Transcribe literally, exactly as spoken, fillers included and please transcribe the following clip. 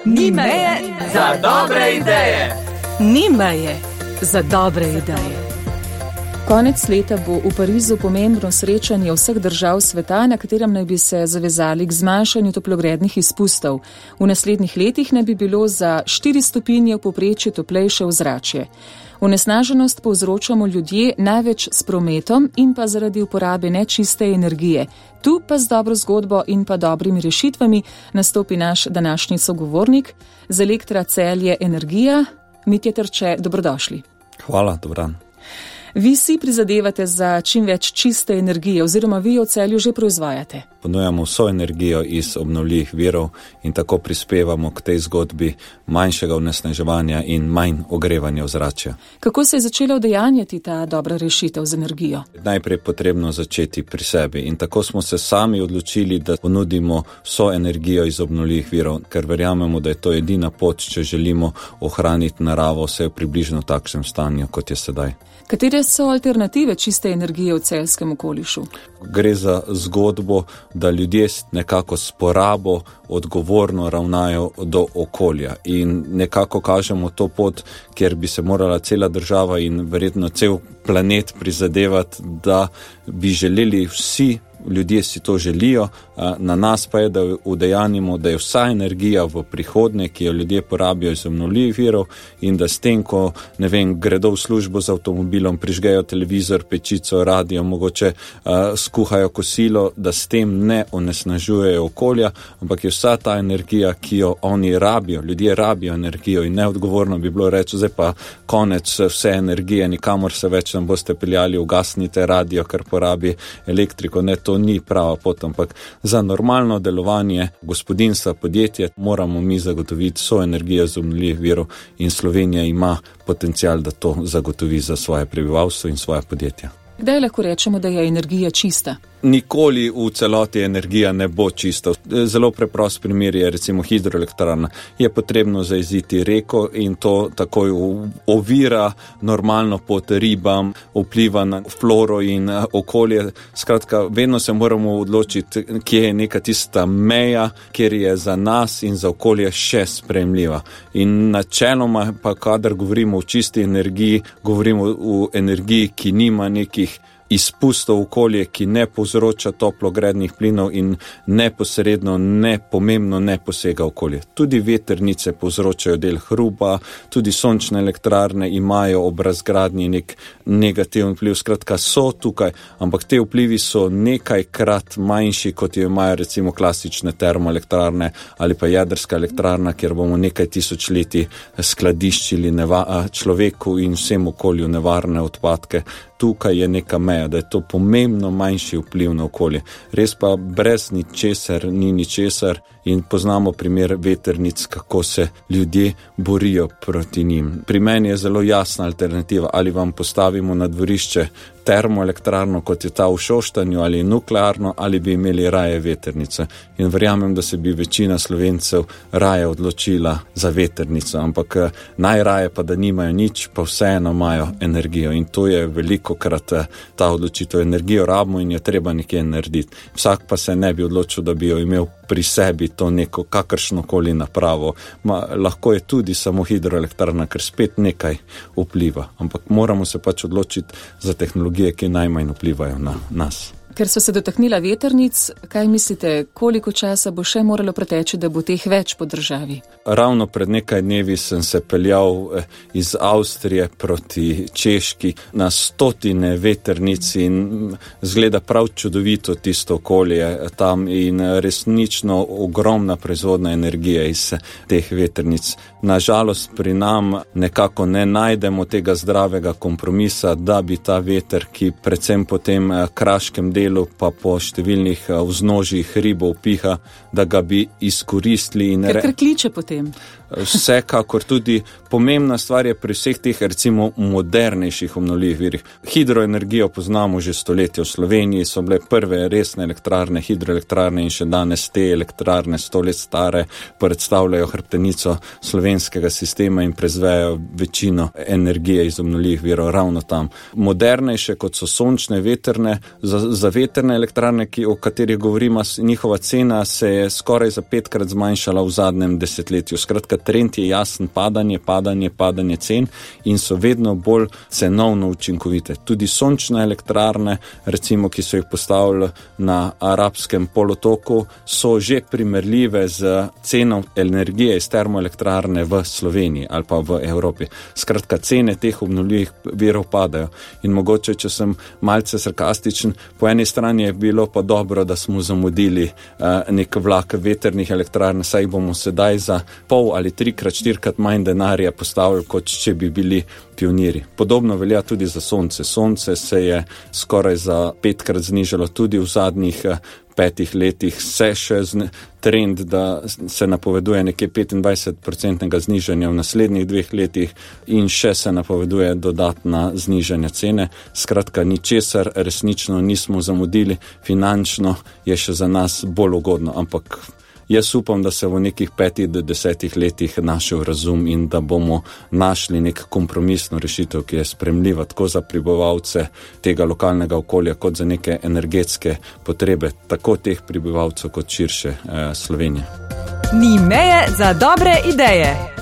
Ni meje za dobre ideje. Ni meje za dobre ideje. Konec leta bo v Parizu pomembno srečanje vseh držav sveta, na katerem naj bi se zavezali k zmanjšanju toplogrednih izpustov. V naslednjih letih naj bi bilo za štiri stopinje v povprečju toplejše ozračje. Onesnaženost povzročamo ljudje največ s prometom in pa zaradi uporabe nečiste energije. Tu pa z dobro zgodbo in pa dobrimi rešitvami nastopi naš današnji sogovornik z Elektra Celje Energija. Mitja Terče, dobrodošli. Hvala, dober dan. Vi si prizadevate za čim več čiste energije oziroma vi jo v Celju že proizvajate. Ponujamo vso energijo iz obnovljivih virov in tako prispevamo k tej zgodbi manjšega onesnaževanja in manj ogrevanja ozračja. Kako se je začela udejanjati ta dobra rešitev z energijo? Najprej je potrebno začeti pri sebi in tako smo se sami odločili, da ponudimo vso energijo iz obnovljivih virov, ker verjamemo, da je to edina pot, če želimo ohraniti naravo vse v približno takšnem stanju, kot je sedaj. Katere so alternative čiste energije v celjskem okolišu? Gre za zgodbo, da ljudje nekako s porabo odgovorno ravnajo do okolja in nekako kažemo to pot, kjer bi se morala cela država in verjetno cel planet prizadevati, da bi želeli vsi, ljudje si to želijo, na nas pa je, da udejanimo, da je vsa energija v prihodnje, ki jo ljudje porabijo iz obnovljivih virov in da s tem, ko ne vem, gredo v službo z avtomobilom, prižgejo televizor, pečico, radio, mogoče uh, skuhajo kosilo, da s tem ne onesnažujejo okolja, ampak je vsa ta energija, ki jo oni rabijo, ljudje rabijo energijo in neodgovorno bi bilo reči, zdaj pa konec vse energije, nikamor se več ne boste peljali, ugasnite radio, ker porabi elektriko, ne, to ni prava pot, ampak za normalno delovanje gospodinjstva, podjetja moramo mi zagotoviti vso energijo z obnovljivih virov in Slovenija ima potencial, da to zagotovi za svoje prebivalstvo in svoje podjetja. Kdaj lahko rečemo, da je energija čista? Nikoli v celoti energija ne bo čista. Zelo preprost primer je recimo hidroelektrarna. Je potrebno zajeziti reko in to takoj ovira normalno pot ribam, vpliva na floro in okolje. Skratka, vedno se moramo odločiti, kje je neka tista meja, kjer je za nas in za okolje še sprejemljiva. In načeloma pa, kadar govorimo o čisti energiji, govorimo o energiji, ki nima nekih izpustov okolje, ki ne povzroča toplogrednih plinov in neposredno, nepomembno ne posega okolje. Tudi vetrnice povzročajo del hrupa, tudi sončne elektrarne imajo ob razgradnji nek negativen vpliv. Skratka, so tukaj, ampak te vplivi so nekajkrat manjši, kot jo imajo recimo klasične termoelektrarne ali pa jedrska elektrarna, kjer bomo nekaj tisočletij skladiščili neva- človeku in vsem okolju nevarne odpadke. Tukaj je neka meja, da je to pomembno manjši vpliv na okolje. Res pa brez ničesar ni ničesar in poznamo primer vetrnic, kako se ljudje borijo proti njim. Pri meni je zelo jasna alternativa, ali vam postavimo na dvorišče termoelektrarno, kot je ta v Šoštanju, ali nuklearno, ali bi imeli raje vetrnice. In verjamem, da se bi večina Slovencev raje odločila za vetrnico, ampak najraje pa, da nimajo nič, pa vseeno imajo energijo. In to je veliko krat ta odločitev. Energijo rabimo in jo treba nekje narediti. Vsak pa se ne bi odločil, da bi jo imel pri sebi to neko kakršnokoli napravo. Ma, lahko je tudi samo hidroelektrarna, ker spet nekaj vpliva. Ampak moramo se pač odločiti za tehnologije, ki najmanj vplivajo na nas. Ker so se dotaknila vetrnic, kaj mislite, koliko časa bo še moralo preteči, da bo teh več po državi? Ravno pred nekaj dnevi sem se peljal iz Avstrije proti Češki na stotine vetrnic in zgleda prav čudovito tisto okolje tam in resnično ogromna proizvodna energija iz teh vetrnic. Nažalost pri nam nekako ne najdemo tega zdravega kompromisa, da bi ta veter, ki predvsem po tem kraškem delu pa po številnih vznožjih hribov piha, da ga bi izkoristili. In Ker kliče potem. Vsekakor tudi pomembna stvar je pri vseh teh recimo modernejših obnovljivih virih. Hidroenergijo poznamo že stoletja v Sloveniji, so bile prve resne elektrarne, hidroelektrarne in še danes te elektrarne sto let stare predstavljajo hrbtenico slovenskega sistema in proizvajajo večino energije iz obnovljivih virov ravno tam. Modernejše kot so sončne, vetrne, za, za Veterne elektrarne, ki, o katerih govorimo, njihova cena se je skoraj za petkrat zmanjšala v zadnjem desetletju. Skratka, trend je jasen, padanje, padanje, padanje cen in so vedno bolj cenovno učinkovite. Tudi sončne elektrarne, recimo, ki so jih postavili na arabskem polotoku, so že primerljive z ceno energije iz termoelektrarne v Sloveniji ali pa v Evropi. Skratka, cene teh obnovljivih virov padajo. In mogoče, če sem malce sarkastičen, po eni strani je bilo pa dobro, da smo zamudili uh, nek vlak veternih elektrarn, saj bomo sedaj za pol ali trikrat, štirikrat manj denarja postavili, kot če bi bili pioniri. Podobno velja tudi za sonce. Sonce se je skoraj za petkrat znižalo tudi v zadnjih uh, petih letih, se še zne, trend, da se napoveduje nekje petindvajset procentnega znižanja v naslednjih dveh letih in še se napoveduje dodatna znižanja cene. Skratka, ničesar resnično nismo zamudili, finančno je še za nas bolj ugodno, ampak jaz upam, da se v nekih petih do desetih letih našel razum in da bomo našli nek kompromisno rešitev, ki je sprejemljiva tako za prebivalce tega lokalnega okolja, kot za neke energetske potrebe, tako teh prebivalcev kot širše eh, Slovenije. Ni meje za dobre ideje.